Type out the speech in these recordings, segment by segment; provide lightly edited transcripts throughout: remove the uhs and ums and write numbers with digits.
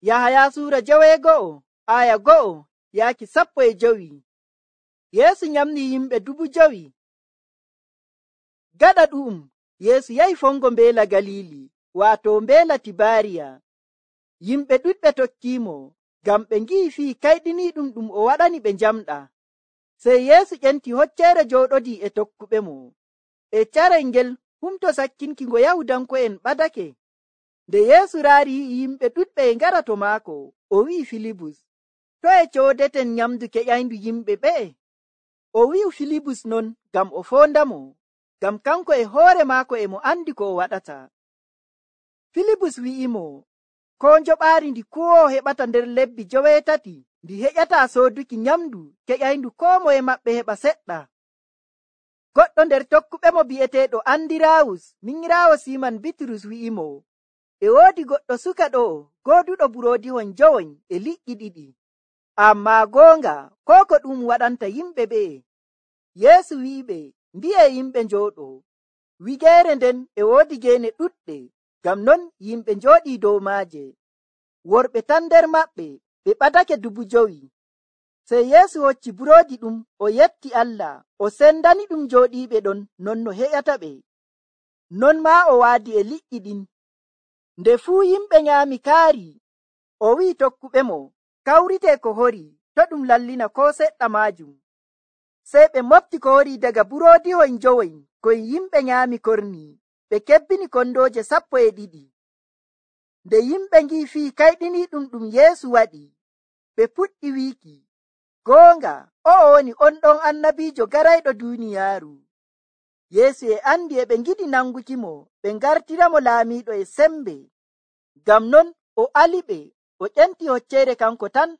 Yahaya suura 9:1-15. Yeesu nyamni yimɓe 5,000. Gaɗa ɗu'um Yeesu yahi fongo mbeela Galili, waato mbeela Tibaariya. Yimɓe ɗuɗɓe tokkiimo, ngam ɓe ngi'i fii kayɗiniiɗum ɗum o waɗani ɓe njamɗa. Sey Yeesu ƴenti hocceere jooɗodii e tokkuɓemo. E carel ngel humto sakkinki ngo Yahudanko'en ɓadake. Nde Yeesu raari yi'i yimɓe ɗuɗɓe e ngara to maako, o wi'i Filibus, “Toye coodeten nyamdu keƴayndu yimɓe ɓe'e?” O wi'i Filibus non ngam o foondamo, ngam kanko e hoore maako e mo andi ko o waɗata. Filibus wi'imo, koo njoɓaari ndi kuwoowo heɓata nder lebbi 8 ndi heƴataa sooduki nyamdu keƴayndu koo moye maɓɓe heɓa seɗɗa. Goɗɗo nder tokkuɓemo bi'eteeɗo Andiraawus, minyiraawo Siiman Bitrus wi'imo, e woodi goɗɗo suka ɗo gooduɗo buroodihon 9 e liƴƴi 2. Ammaa goonga, koo ko ɗum waɗanta yimɓe ɓe'e? Yeesu wi'iɓe, mbi'ee yimɓe njooɗoo. Wigeere nden e woodi geene ɗuɗɗe, ngam non yimɓe njooɗii dow maaje. Worɓe tan nder maɓɓe, ɓe ɓadake 5,000. Sey Yeesu hocci buroodi ɗum, o yetti Allah, o sendani ɗum jooɗiiɓe ɗon non no heƴata ɓe. Non maa o waadi e liƴƴi ɗin. Nde fuu yimɓe nyaami kaari, o wi'i tokkuɓemo, kawritee ko horii, to' ɗum lallina koo seɗɗa maajum. Sey ɓe mofti ko horii daga buroodihoy 9 koy yimɓe nyaami kornii, ɓe kebbini kondooje 12. Nde yimɓe ngi'i fii kayɗiniiɗum ɗum Yeesu waɗi, ɓe puɗɗi wiiki, goonga, o'o woni on ɗon annabiijo garayɗo duuniyaaru. Yeesu e andi e ɓe ngiɗi nangukimo, ɓe ngartiramo laamiiɗo e sembe. Ngam non o aliɓe, o ƴenti hocceere kanko tan.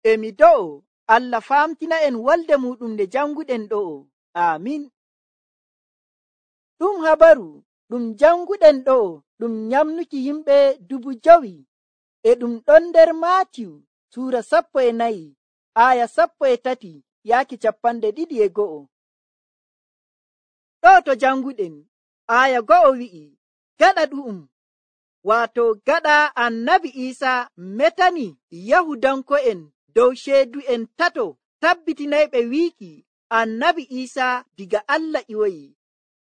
E mi do'o Allah faamtina en wolde muɗum nde janguɗen ɗo'o. Aamin. Ɗum habaru ɗum janguɗen ɗo'o ɗum nyamnuki yimɓe 5,000, e ɗum ɗon nder Maatiyu suura 14 aya 13-22. Ɗo to janguɗen aya 1 wi'i, gaɗa ɗu'um, waato gaɗa annabi Iisaa metani Yahudanko'en dow ceedu'en 3 tabbitinayɓe wiiki annabi Iisaa diga Allah ƴiwoyi.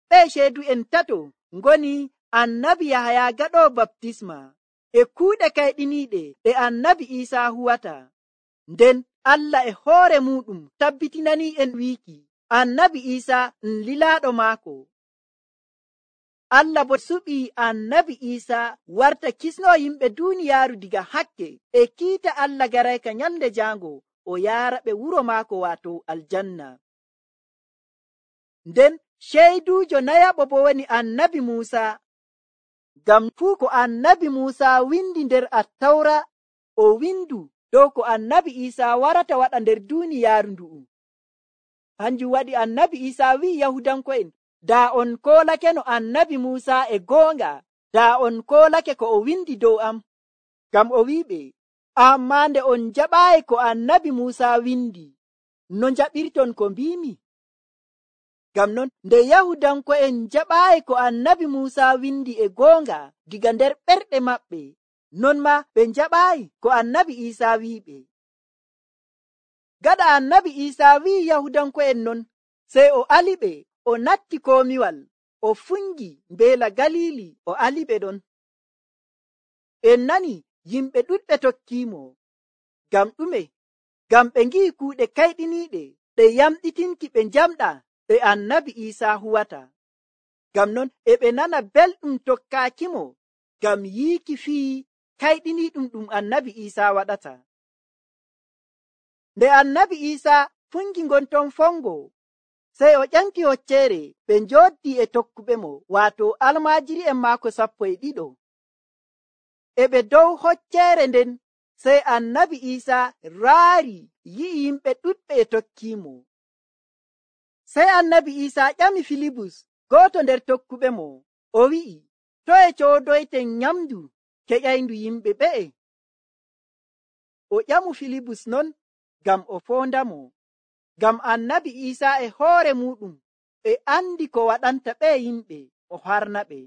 Ɓe ceedu'en 3 ngoni annabi Yahaya gaɗoowo baptisma e kuuɗe kayɗiniiɗe ɗe annabi Iisaa huwata. Nden Allah e hoore muɗum tabbitinani'en wiiki annabi Iisaa lilaaɗo maako. Allah bo suɓii annabi Iisaa warta kisnoo yimɓe duuniyaaru diga hakke e kiita Allah garayka nyalnde jaango o yaara ɓe wuro maako waato aljanna. Nden ceyduujo nayaɓo bo woni annabi Muusaa. Ngam fuu ko annabi Muusaa windi nder Attawra, o windu dow ko annabi Iisaa warata waɗa nder duuniyaaru ndu'u. Hanjum waɗi annabi Iisaa wi'i Yahudanko'en, daa on koolake no annabi Muusaa e goonga, daa on koolake ko o windi dow am. Ngam o wi'iɓe, ammaa nde on jaɓaayi ko annabi Muusaa windi, no njaɓirton ko mbiimi? Ngam non nde Yahudanko'en jaɓaayi ko annabi Muusaa windi e goonga diga nder ɓerɗe maɓɓe, non maa ɓe njaɓaayi ko annabi Iisaa wi'iɓe. Gaɗa annabi Iisaa wi'i Yahudanko'en non, sey o aliɓe, o natti komiwal, o fungi mbeela Galili, o aliɓe ɗon. En nani yimɓe ɗuɗɓe tokkiimo. Ngam ɗume? Ngam ɓe ngi'i kuuɗe kayɗiniiɗe ɗe yamɗitinki ɓe njamɗa ɗe annabi Iisaa huwata. Ngam non e ɓe nana belɗum tokkaakimo, ngam yiiki fii kayɗiniiɗum ɗum annabi Iisaa waɗata. Nde annabi Iisaa fungi ngonton fongo, sey o ƴanki hocceere ɓe njooddii e tokkuɓemo, waato almaajiri'en maako 12. E ɓe dow hocceere nden, sey annabi Iisaa raari yi'i yimɓe ɗuɗɓe e tokkiimo. Sey annabi Iisaa ƴami Filibus, gooto nder tokkuɓemo, o wi'i, toye coodoyten nyamdu keƴayndu yimɓe ɓe'e? O ƴamu Filibus non ngam o foondamo, ngam annabi Iisaa e hoore muɗum e andi ko waɗanta ɓe yimɓe, o harna ɓe.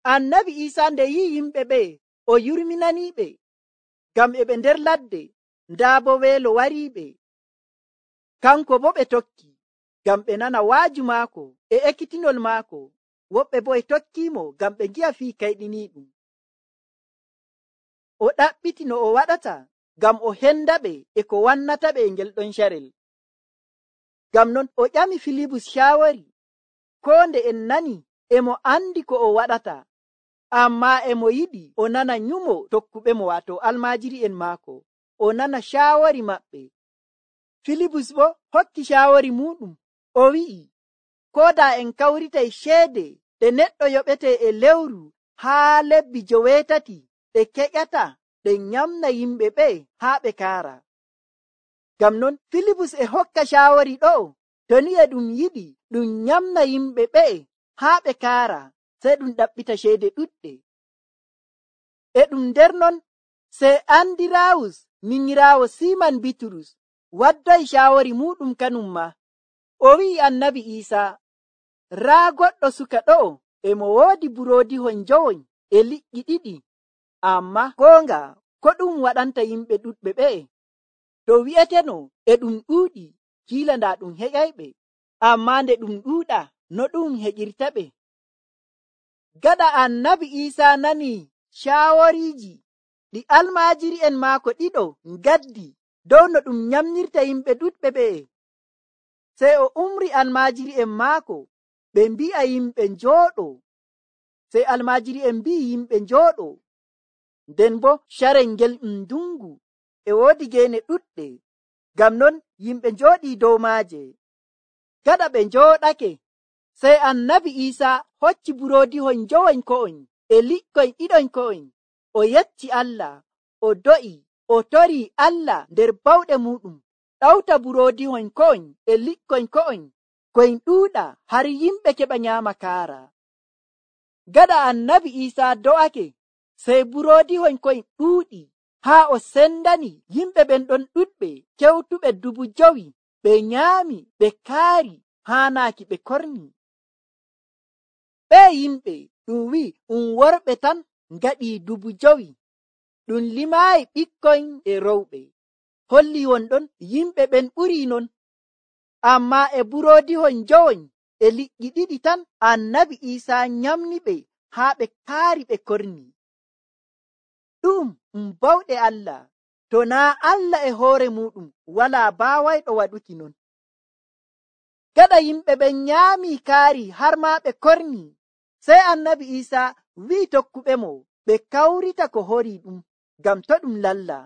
Annabi Isa nde yi yimɓe ɓe o yurminaniɓe ngam e ɓe nder ladde, ndaa bo weelo wariɓe. Kanko bo ɓe tokki ngam ɓe nana waaju maako e ekkitinol maako. Woɓɓe bo e tokkimo ngam ɓe ngi'a fii kayɗiniiɗum. O ɗaɓɓiti no o waɗata ngam o henda ɓe e ko wannata ɓe e ngel ɗon carel. Ngam non o ƴami Filibus shaawari, koo nde en nani e mo andi ko o waɗata, ammaa e mo yiɗi o nana nyumo tokkuɓemo, waato almaajiри'en maako, o nana shaawari maɓɓe. Filibus bo hokki shaawari muɗum, o wi'i, koo daa en kawritay ceede ɗe neɗɗo yoɓete e lewru haa lebbi 8 ɗe keƴata ɗe nyamna yimɓe ɓe haa ɓe kaara. Ngam non Filibus e hokka shaawari ɗo, to ni e ɗum yiɗi ɗum nyamna yimɓe ɓe haa ɓe kaara, sey ɗum ɗaɓɓita ceede ɗuɗɗe. E ɗum nder non sey Andiraawus minyiraawo Siiman Bitrus wadday shaawari muɗum kanum ma. O wi'i Annabi Iisaa, raa goɗɗo suka ɗo e mo woodi buroodihon njowoy e liƴƴi 2, ammaa goonga ko ɗum waɗanta yimɓe ɗuɗɓe ɓe? To wi'eteno e ɗum ɗuuɗi, kiila ndaa ɗum heƴayɓe, ammaa nde ɗum ɗuuɗa, no ɗum heƴirta ɓe? Gaɗa Annabi Iisaa nani shaawariiji ɗi almaajiri'en maako ɗiɗo ngaddi dow no ɗum nyamnirta yimɓe ɗuɗɓe ɓe, sey o umri almaajiri'en maako ɓe mbi'a yimɓe njooɗoo. Sey almaajiri'en mbi'i yimɓe njooɗoo. Nden bo carel ngel ndungu e woodi geene ɗuɗɗe, ngam non yimɓe njooɗii dow maaje. Gaɗa ɓe njooɗake, sey Annabi Iisaa hocci buroodihon njowoñ ko'oñ e liƴƴoñ 2 ko'oñ, o yecci Allah, o do'i, o torii Allah nder bawɗe muɗum, ɗawta buroodihon ko'oñ e liƴƴoñ ko'oñ koyn ɗuuɗa har yimɓe keɓa nyaama kaara. Gaɗa Annabi Iisaa do'ake, sey buroodihon koyn ɗuuɗi haa o sendani yimɓe ɓen ɗon ɗuɗɓe kewtuɓe 5,000, ɓe nyaami, ɓe kaari, haanaaki ɓe korni. Ɓe yimɓe ɗum wi'i worɓe tan ngaɗii 5,000, ɗum limaayi ɓikkoy e rowɓe. Holli wonɗon yimɓe ɓen ɓurii non. Ammaa e buroodihon njowoñ e liƴƴi 2 tan Annabi Iisaa nyamni ɓe haa ɓe kaari ɓe korni. Ɗum bawɗe Allah, to naa Allah e hoore muɗum walaa baawayɗo waɗuki non. Gaɗa yimɓe ɓen nyaami kaari har maa ɓe korni, sey Annabi Iisaa wi'i tokkuɓemo ɓe kawrita ko horii ɗum ngam to ɗum lalla.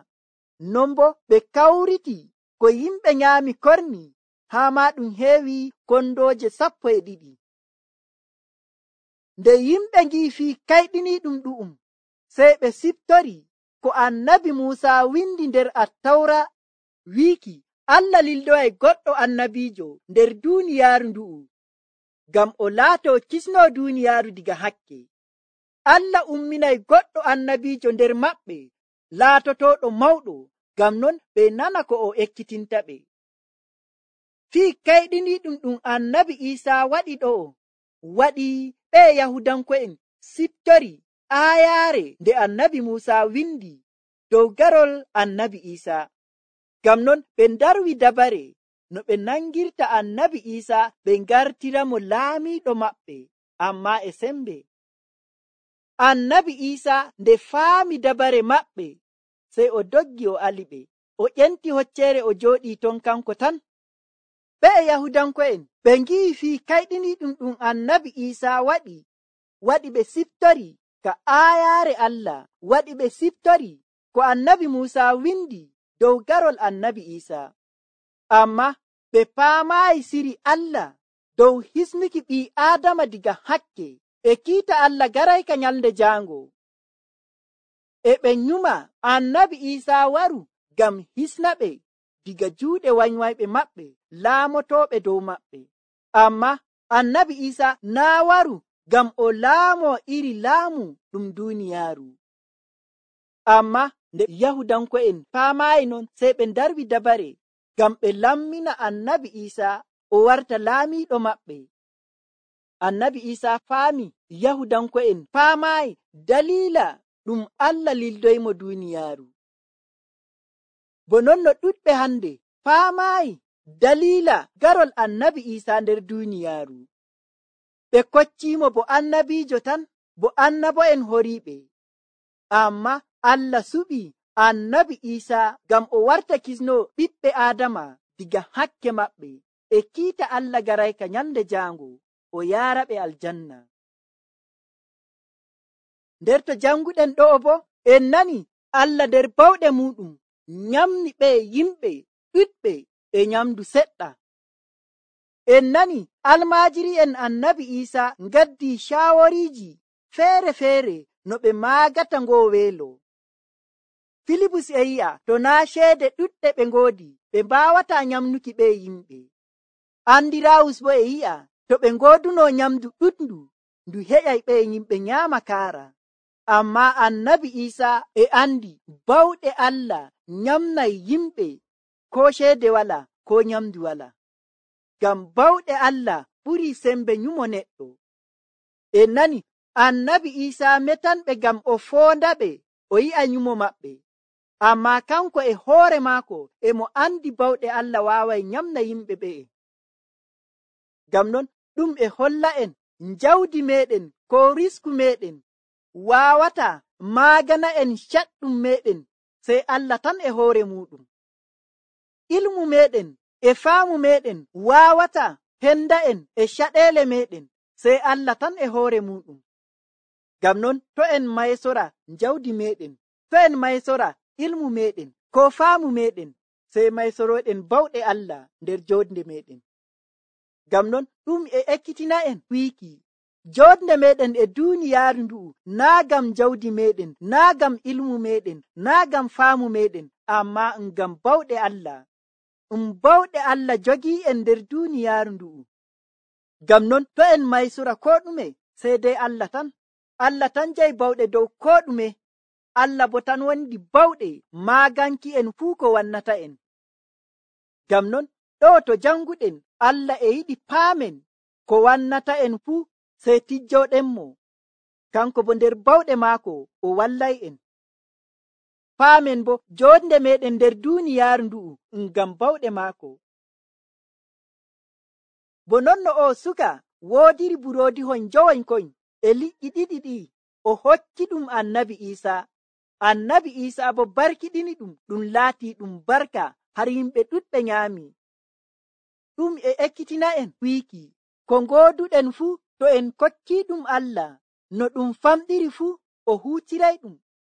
Non bo ɓe kawriti ko yimɓe nyaami korni, haa maa ɗum heewi kondooje 12. Nde yimɓe ngi'i fii kayɗiniiɗum ɗu'um, sey ɓe siftori ko Annabi Muusaa windi nder Attawra wiiki Allah lildoyay goɗɗo annabiijo nder duuniyaaru ndu'u, ngam o laatoo kisnoo duuniyaaru diga hakke. Allah umminay goɗɗo annabiijo nder maɓɓe laatotooɗo mawɗo, ngam non ɓe nana ko o ekkitinta ɓe. Fii kayɗiniiɗum ɗum Annabi Iisaa waɗi ɗo, waɗi ɓe Yahudanko'en siftori aayaare nde Annabi Muusaa windi dow garol Annabi Iisaa. Ngam non ɓe ndarwi dabare no ɓe nangirta Annabi Iisaa ɓe ngartiramo laamiiɗo maɓɓe, ammaa e sembe. Annabi Iisaa nde faami dabare maɓɓe, sey o doggi o aliɓe, o ƴenti hocceere o jooɗii ton kanko tan. Ɓe Yahudanko'en ɓe ngi'i fii kayɗiniiɗum ɗum Annabi Iisaa waɗi ɓe siftori ka aayaare Allah, waɗi ɓe siftori ko Annabi Muusaa windi dow garol Annabi Iisaa. Ammaa ɓe paamaayi siri Allah dow hisnuki ɓii Aadama diga hakke e kiita Allah garayka nyalnde jaango. E ɓe nyuma Annabi Iisaa waru ngam hisna ɓe diga juuɗe wanywayɓe maɓɓe laamotooɓe dow maɓɓe. Ammaa Annabi Iisaa naa waru ngam o laamoo iri laamu ɗum duuniyaaru. Ammaa nde Yahudanko'en paamaayi non, sey ɓe ndarwi dabare ngam ɓe lammina Annabi Iisaa o warta laamiiɗo maɓɓe. Annabi Isa faami Yahudanko'en faamaayi dalila ɗum Allah lildoymo duniyaaru. Bo non no ɗuɗɓe hande faamaayi dalila garol Annabi Isa nder duniyaaru. Ɓe kocciimo bo annabiijo tan, bo annabo'en horiiɓe. Amma Allah suɓi Annabi Isa ngam o warta kisno ɓiɓɓe Aadama diga hakke maɓɓe, e kiita Allah garayka nyalde jaango o yaaraɓe aljanna. Nder to janguɗen ɗo'o bo en nani Allah nder bawɗe muɗum nyamni ɓe yimɓe ɗuɗɓe e nyamdu seɗɗa. En nani almaajiri'en Annabi Isa ngaddi shaawariiji feere-feere no ɓe maagata ngoo weelo. Filibus e yi'a to naa ceede ɗuɗɗe ɓe ngoodi ɓe mbaawata nyamnuki ɓe yimɓe. Andirawus bo e yi'a to ɓe ngooduno nyamdu ɗuɗndu ndu heƴay ɓe yimɓe nyaama kaara. Amma Annabi Isa e andi bawɗe Allah nyamnay yimɓe ko ceede wala ko nyamdu wala. Ngam bawɗe Allah ɓurii sembe nyumo neɗɗo. En nani Annabi Isa metanɓe ngam o foondaɓe o yi'a nyumo maɓɓe. Amma kanko e hoore maako e mo andi bawɗe Allah waaway nyamna yimɓe ɓe'e. Ngam non ɗum e holla en njawdi meɗen ko risku meɗen waawata maagana en caɗɗum meɗen sey Allah tan e hoore muɗum. Ilmu meɗen e faamu meɗen waawata henda en e caɗeele meɗen sey Allah tan e hoore muɗum. Ngam non to en maysora njawdi meɗen, to en maysora ilmu meɗen ko faamu meɗen sey maysoroɗen bawɗe Allah nder joodnde meɗen. Ngam non ɗum e ekkitina en wiiki joodnde meɗen e duniyaaru ndu'u naa gam jawdi meɗen, naa gam ilmu meɗen, naa gam faamu meɗen, amma ngam bawɗe Allah. Bawɗe Allah jogii en nder duniyaaru ndu'u. Ngam non to en maysora ko ɗume sey dai Allah tan. Allah tan jayi bawɗe dow ko ɗume. Allah bo tan wondi bawɗe maaganki en fuu ko wannata en. Ngam non ɗo to janguɗen Allah e yiɗi paamen ko wannata en fuu sey tijjoɗenmo. Kanko bo nder bawɗe maako o wallay en. Paamen bo joodnde meɗen nder duniyaaru ndu'u ngam bawɗe maako. Bo non no o suka woodiri buroodihon njowoykoy e liƴƴi ɗiɗi ɗi o hokki ɗum Annabi Isa. Annabi Isa bo barkiɗini ɗum laatii ɗum barka har yimɓe ɗuɗɓe nyaami. Ɗum e ekkitina en wiiki ko ngooduɗen fuu to en kokkii ɗum Allah no ɗum famɗiri fuu o huutiray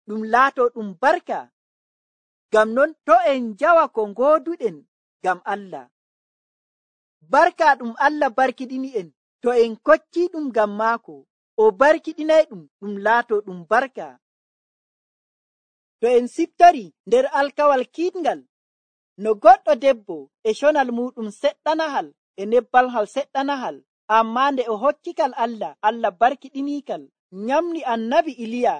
ɗum laato ɗum barka. Ngam non to en njawa ko ngooduɗen ngam Allah. Barka ɗum Allah barkiɗini en to en kokkii ɗum ngam maako o barkiɗinay ɗum laato ɗum barka. To en siftori nder alkawal kiitngal no goɗɗo debbo e conal muɗum seɗɗanahal e nebbalhal seɗɗanahal, amma nde o hokkikal Allah, Allah barkiɗinikal nyamni Annabi Iliya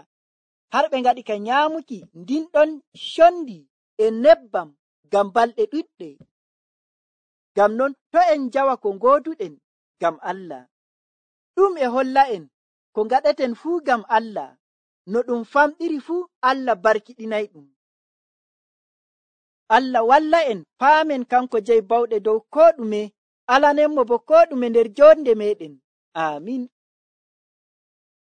har ɓe ngaɗi ka nyaamuki ndinɗon condi e nebbam ngam balɗe ɗuɗɗe. Ngam non to en njawa ko ngooduɗen ngam Allah. Ɗum e holla en ko ngaɗeten fuu ngam Allah, no ɗum famɗiri fuu Allah barkiɗinay ɗum. Allah walla en paamen kanko jeyi bawɗe dow ko ɗume, alanenmo bo ko ɗume nder joonde meɗen. Amin.